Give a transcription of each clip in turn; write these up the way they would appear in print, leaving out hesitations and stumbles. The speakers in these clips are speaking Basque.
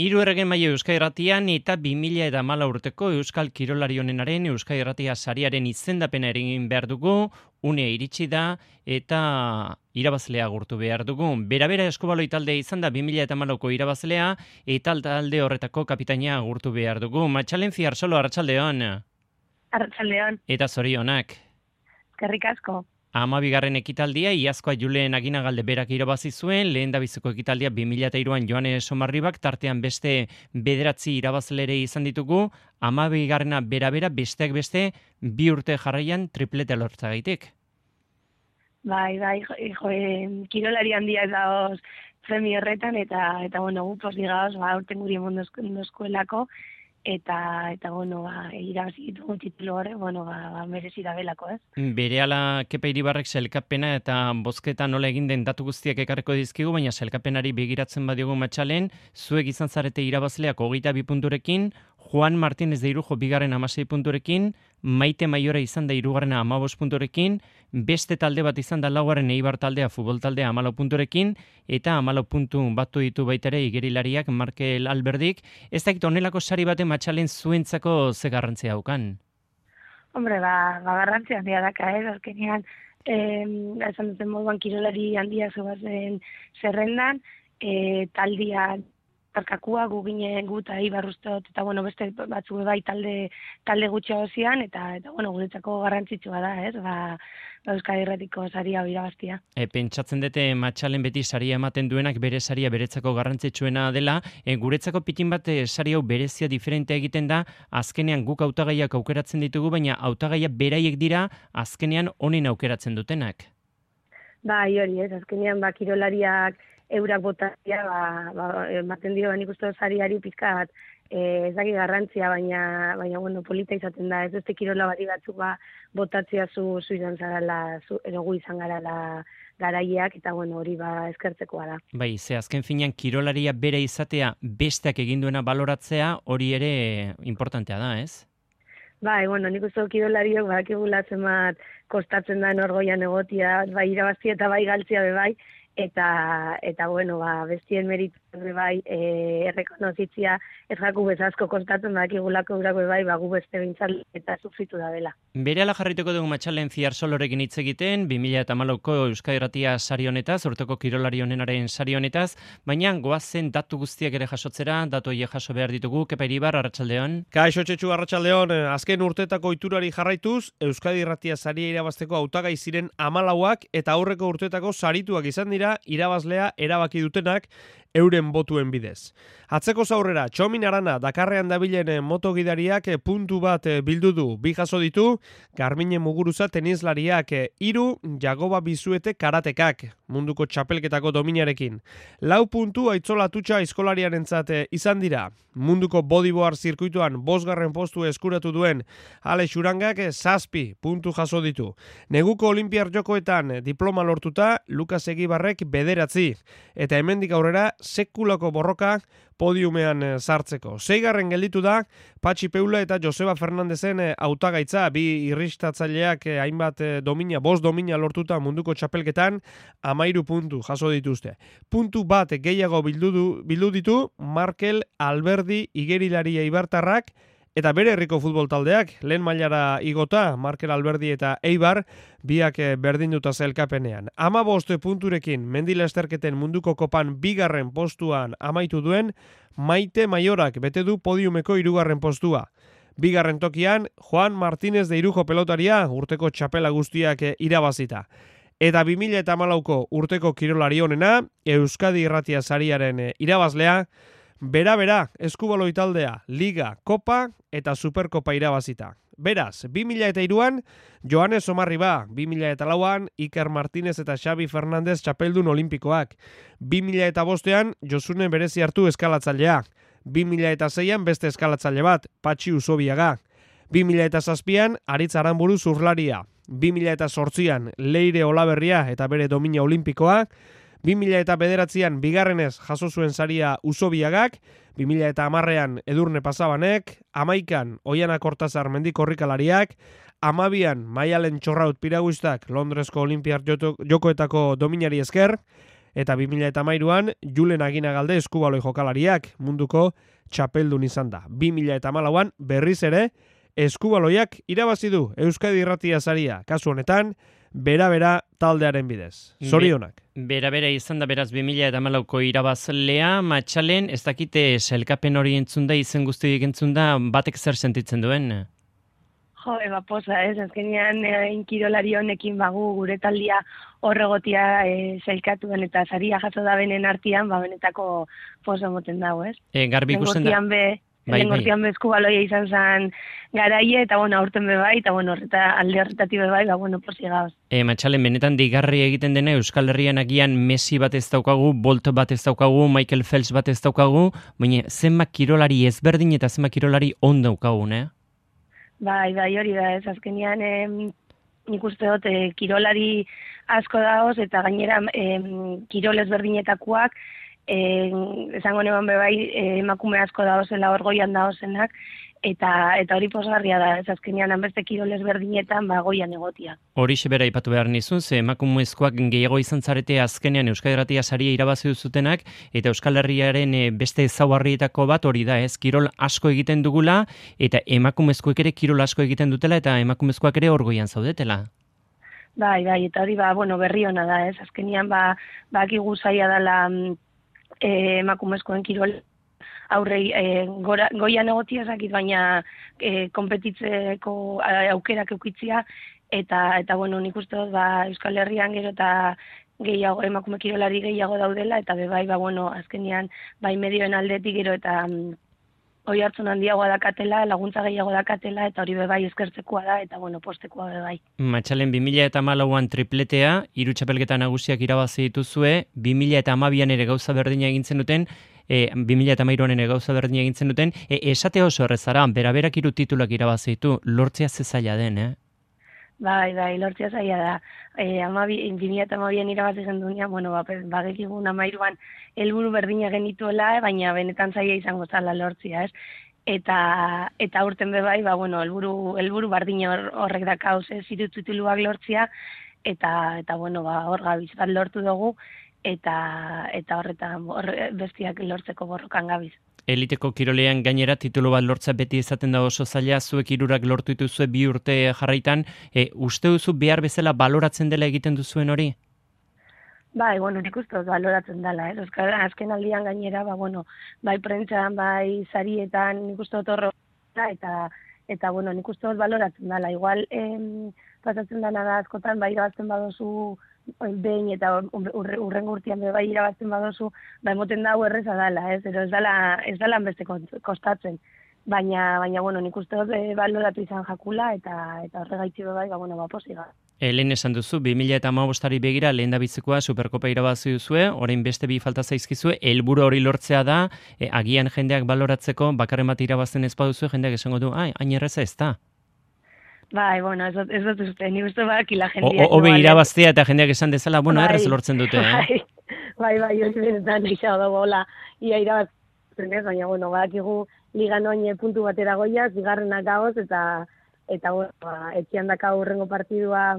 Hiru erregen maila Euskal Irratian eta 2014 urteko Euskal Kirolari onenaren Euskal Irratia sariaren izendapena egin behar dugu, unea iritsi da eta irabazlea agurtu behar dugu. Bera eskubaloi taldea izan da 2014ko irabazlea eta talde horretako kapitaina agurtu behar dugu. Matxalenzi Arsolo, arratsaldeon. Arratsaldeon. Eta zorionak. Eskerrik asko. 12. ekitaldia, iazkoa Julen Aginagalde berak irabazi zuen, lehen dabiziko ekitaldia 2003an Joane Somarribak, tartean beste 9 irabazlere izan ditugu, 12. bera besteak beste 2 urte jarraian triplete lortzagaitik. Bai, kirolari handia da zemi horretan, eta bueno, gu posdigaoz, urten guri emondo eskuelako, eta irabazi ditugu titulu hori, merezi da belako, ez? Berehala Kepa Iribarrek sailkapena eta bozketa nola egin den datu guztiak ekarriko dizkigu, baina sailkapenari begiratzen badiogu Matxalen, zuek izan zarete irabazleak 22 punturekin, Juan Martínez de Irujo 16 punturekin, Maite Maiora izan da 15 punturekin, beste talde bat izan da 4. Eibar taldea, futbol taldea 14 punturekin, eta 14 puntu batu ditu baitare igerilariak Markel Alberdik. Ez dakit honelako sari baten Matxalen zuentzako ze garrantzia daukan? Hombre, garrantzia handia daka, azkenean, esan duten moduan kirolari handia zubazen zerrendan, taldia parkakua gu ginen gu eta Eibar ustot, eta beste batzu bai talde gutxo zian, eta guretzako garrantzitsua da, ez? Euskal Irratiko saria irabaztia. Pentsatzen dute Matxalen beti saria ematen duenak bere saria beretzako garrantzitsuena dela, guretzako pitin bat sari hau berezia diferentea egiten da, azkenean guk hautagaiak aukeratzen ditugu, baina hautagaiak beraiek dira azkenean honen aukeratzen dutenak. Bai, hori ez, azkenean kirolariak eurak botatzea, ematen dio, nik uste sariari pizka bat, ez daki garrantzia, baina polita izaten da, ez beste kirola bati batzuk botatzea zu izan zarala, erogu izan garala garaileak, eta hori eskertzekoa da. Bai, ze azken finean kirolaria bere izatea besteak egin duena baloratzea, hori ere importantea da, ez? Bai, nik uste kirolariok badakigula zenbat kostatzen da orgoian egotia, bai irabaztia eta bai galtzia bai, eta bestien meritu bai errekonozitzia ez jaku bezazko kostatzen dakigulako urako bai gu beste bintzal eta sufritu da dela. Berehala jarrituko dugu Matxalenzi Arsolorekin hitz egiten 2014ko Euskal Irratia sari honetaz, urteko kirolari honenaren sari honetaz, baina goazen datu guztiak ere jasotzera, datu horiek jaso behar ditugu. Kepa Iribar, arratsaldeon. Kaixo Txetxu, arratsaldeon. Azken urtetako iturari jarraituz, Euskal Irratia saria irabazteko hautagai ziren 14ak eta aurreko urtetako sarituak izan dira irabazlea erabaki dutenak euren botuen bidez. Atzeko zaurrera, Txomin Arana Dakarrean dabilen motogidariak puntu bat bildu du, 2 jaso ditu, Garmine Muguruza tenislariak 3, Jagoba Bizuete karatekak, munduko txapelketako dominarekin. 4 puntu Aitzola Tutxa aizkolariarentzat izan dira. Munduko bodyboard zirkuituan 5. postu eskuratu duen Alex Urangak 7 puntu jaso ditu. Neguko Olimpiar Jokoetan diploma lortuta Lukas Egibarrek 9, eta hemendik aurrera sekulako borroka podiumean sartzeko. 6. gelditu da Patxi Peula eta Joseba Fernandezen hautagaitza, 2 irristatzaileak hainbat domina, 5 domina lortuta munduko txapelketan 13 puntu jaso dituzte. Puntu bat gehiago bildu ditu Markel Alberdi igerilaria Eibartarrak, eta bere herriko futbol taldeak, lehen mailara igota, Markel Alberdi eta Eibar, biak berdinduta sailkapenean. 15 punturekin mendilasterketen munduko kopan 2. postuan amaitu duen, Maite Maiorak bete du podiumeko 3. postua. 2. tokian, Juan Martínez de Irujo pelotaria, urteko txapela guztiak irabazita. Eta 2014ko urteko kirolari honena, Euskadi Irratia sariaren irabazlea, bera, eskubaloi taldea, Liga, Kopa eta Superkopa irabazita. Beraz, 2003an, Joane Somarriba, 2004an, Iker Martínez eta Xabi Fernandez txapeldun olimpikoak, 2005an, Josune Berezi hartu eskalatzailea, 2006an beste eskalatzaile bat, Patxi Usobiaga, 2007an, Aritz Aranburu zurlaria, 2008an, Leire Olaberria eta bere domina olimpikoa, 2009an bigarrenez jaso zuen saria Usobiagak, 2010an Edurne Pasabanek, 11an Oiana Kortazar mendikorrikalariak, 12an Maialen Txorraut piraguistak Londresko Olimpiar Jokoetako dominari esker, Eta 2013an Julen Aginagalde eskubaloi jokalariak munduko txapeldun izan da. 2014an berriz ere eskubaloiak irabazi du Euskadi Irratia saria. Kasu honetan, bera taldearen bidez. Zorionak. Bera izan da beraz 2014ko irabazlea, Matxalen, ez dakite sailkapen hori entzun da, izen guztiak entzun da, batek zer sentitzen duen? Jo, posa, ez, azkenean inkirolari honekin bagu gure taldia horregotia sailkatuen eta saria jaso da benen artean, benetako posa moten dago, ez? Garbi ikusten da. Lengortian eskubaloia izan zen garaie, eta aurten bai, eta alde horretatik bai, posi gauz. Matxalen, benetan digarri egiten dena Euskal Herrian agian Messi bat ez daukagu, Bolt bat ez daukagu, Michael Phelps bat ez daukagu, baina zenbat kirolari ezberdin eta zenbat kirolari on daukagu, ne? Bai, hori da, ez azkenean nik uste dut kirolari asko dagoz eta gainera kirol ezberdinetakoak esango neban bai emakume asko daozela hor goian daozenak eta hori posgarria da, ez azkenean hanbeste kirol ezberdinetan goian egotia. Horixe bera aipatu behar nizun, ze emakumezkoak gehiago izan zarete azkenean Euskadi Irratia saria irabazi duzutenak, eta Euskal Herriaren beste ezaugarrietako bat hori da, ez, kirol asko egiten dugula, eta emakumezkoek ere kirol asko egiten dutela, eta emakumezkoak ere hor goian zaudetela. Bai, eta hori berri ona da, ez, azkenean bakigu zaila dela emakumezkoen kirol aurrei goian egotia zakit, baina konpetitzeko aukerak eukitzia, eta nik uste dut Euskal Herrian gero eta gehiago, emakume kirolari gehiago daudela, eta bai, azkenean, bai medioen aldetik gero eta hori hartzun handiagoa dakatela, laguntza gehiago dakatela, eta hori bai eskertzekoa da, eta postekoa bai. Matxalen 2014an tripletea, 3 txapelketa nagusiak irabazi dituzue, 2012an ere gauza berdina egintzen duten, 2013an ere gauza berdina egintzen duten, esate oso errezara, beraberak 3 titulak irabazi ditu, lortzea ze zaila den, Bai, lortzea zaila da. 2012an irabazi gendunean, bagekigun 13an helburu berdina genituela, baina benetan zaila izango zala lortzea, ez? Eta urten bai, helburu berdina horrek dakauz, ez, 3 tituluak lortzea, eta hor gabiz bat lortu dugu, eta horretan bestiak lortzeko borrokan gabiz. Eliteko kirolean gainera titulu bat lortza beti izaten da oso zaila, zuek 3 lortu dituzue 2 urte jarraitan, uste duzu behar bezala baloratzen dela egiten duzuen hori? Bai, nik uste dut baloratzen dela, azken aldian gainera, bai prentzan, bai sarietan, nik uste dut horro, eta nik uste dut baloratzen dela, igual pasatzen dena da askotan, bai irabazten badozu behin eta urrengo urtean bai irabazten badozu, emoten dago erreza dela, ez dela hanbeste kostatzen. Baina nik uste dut baloratu izan jakula, eta horregaitzi bai, posiga. Lehen esan duzu, 2015ari begira lehen dabitzekoa Superkopa irabazi duzue, orain beste 2 falta zaizkizue, helburu hori lortzea da, agian jendeak baloratzeko, bakarren bat irabazten ez baduzue, jendeak esango du, hain erreza ez da. Bai, ez dut uste, nik uste bakila jendeak. Obe irabaztea eta jendeak esan dezala, errez lortzen dute, Bai, hori benetan izan dago, ia irabazten ez, baina, badakigu ligan oin puntu batera goiaz, bigarrenak gaoz, eta etxian daka urrengo partidua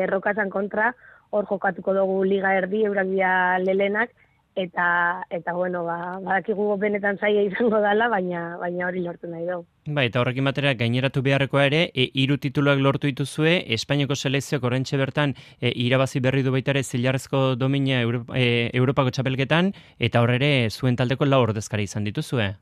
Rokasan kontra, hor jokatuko dugu liga erdi, eurak dira lelenak, eta badakigu benetan zaila izango dela, baina hori lortu nahi dugu. Eta horrekin batera gaineratu beharrekoa ere, 3 tituluak lortu dituzue, Espainiako selekzioak oraintxe bertan irabazi berri du baita ere zilarrezko domina Europako txapelketan, eta horre zuen taldeko 4 ordezkari izan dituzue.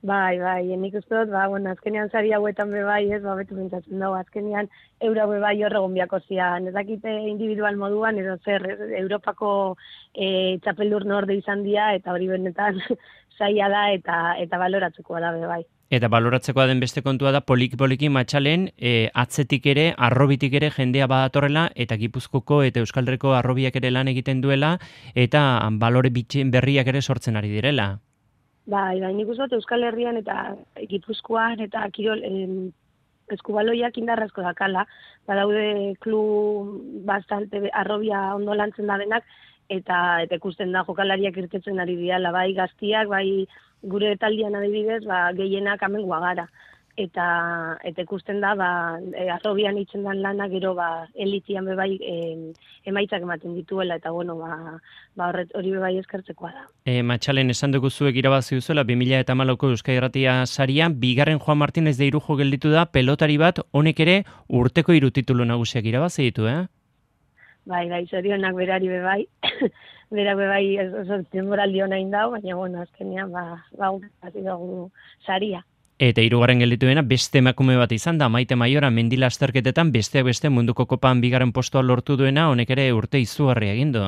Bai, nik uste dut, azkenean sari hauetan bai, ez, betu bintzatzen dago, azkenean eura bai horregon biako zian, ez dakite individual moduan, edo zer, Europako txapeldur norde izan dira, eta hori benetan zaila da, eta baloratzekoa da bai. Eta baloratzekoa den beste kontua da, poliki Matxalen, atzetik ere, arrobitik ere jendea badatorrela, eta Gipuzkoko eta Euskal Herriko arrobiak ere lan egiten duela, eta balore berriak ere sortzen ari direla. Bai, nik uste dut Euskal Herrian eta Gipuzkoan eta kirol eskubaloiak indarrazko dakala. Badaude klub bastante arrobia ondo lantzen da denak, eta ikusten da jokalariak irtetzen ari dira, bai gaztiak, bai gure taldean adibidez, gehienak amengoa gara. eta ikusten da, arrobian itzen dan lana, gero elitian bebai emaitzak ematen dituela, eta bueno, hori bebai eskertzekoa da. Matxalen, esan dugu zuek irabazi duzuela 2014ko Euskadi Irratia saria, bigarren Juan Martínez de Irujo gelditu da, pelotari bat, honek ere urteko 3 titulu nagusiak irabazi ditu, Bai, zorionak berari bebai, berak bebai oso denboraldi hona indau, baina bueno, azkenean, hasi dugu saria. Eta 3. gelditu dena beste emakume bat izan da, Maite Maiora mendila azterketetan beste munduko kopan 2. postua lortu duena, honek ere urte izugarria egin du.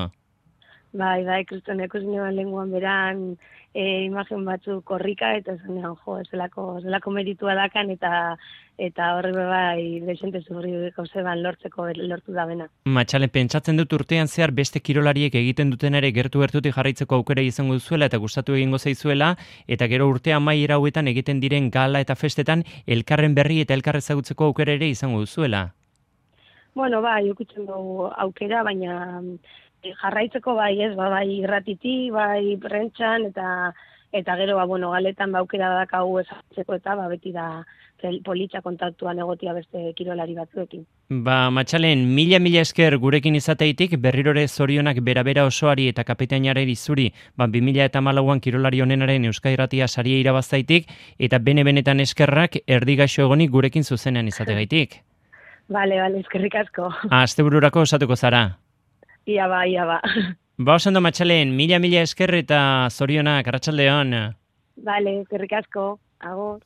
Bai, kriston ikusinean lenguan beran imagen batzu korrika, eta zenean, zelako meritua dakan, eta horre bai desente zurriko zeban lortu da bena. Matxalen, pentsatzen dut urtean zehar beste kirolariek egiten duten ere gertutik jarraitzeko aukera izango duzuela eta gustatu egingo zaizuela, eta gero urte amaiera hauetan egiten diren gala eta festetan elkarren berri eta elkar ezagutzeko aukera ere izango duzuela. Bueno, ikutzen dugu aukera, baina jarraitzeko bai irratiti, bai prentxan, eta gero, galetan aukera dakau ezagutzeko, eta beti da politxa kontaktuan egotia beste kirolari batzuekin. Matxalen, mila esker gurekin izateitik, berrirore zorionak bera osoari eta kapitainaren izuri, 2014an kirolari honenaren Euskadi Irratia saria irabaztaitik, eta benetan eskerrak erdigaixo egonik gurekin zuzenean izategaitik. Bale, eskerrik asko. Astebururako osatuko zara. Ia ba. Osando Matxalen, mila esker eta zorionak, arratsaldeon. Bale, eskerrik asko. Agur.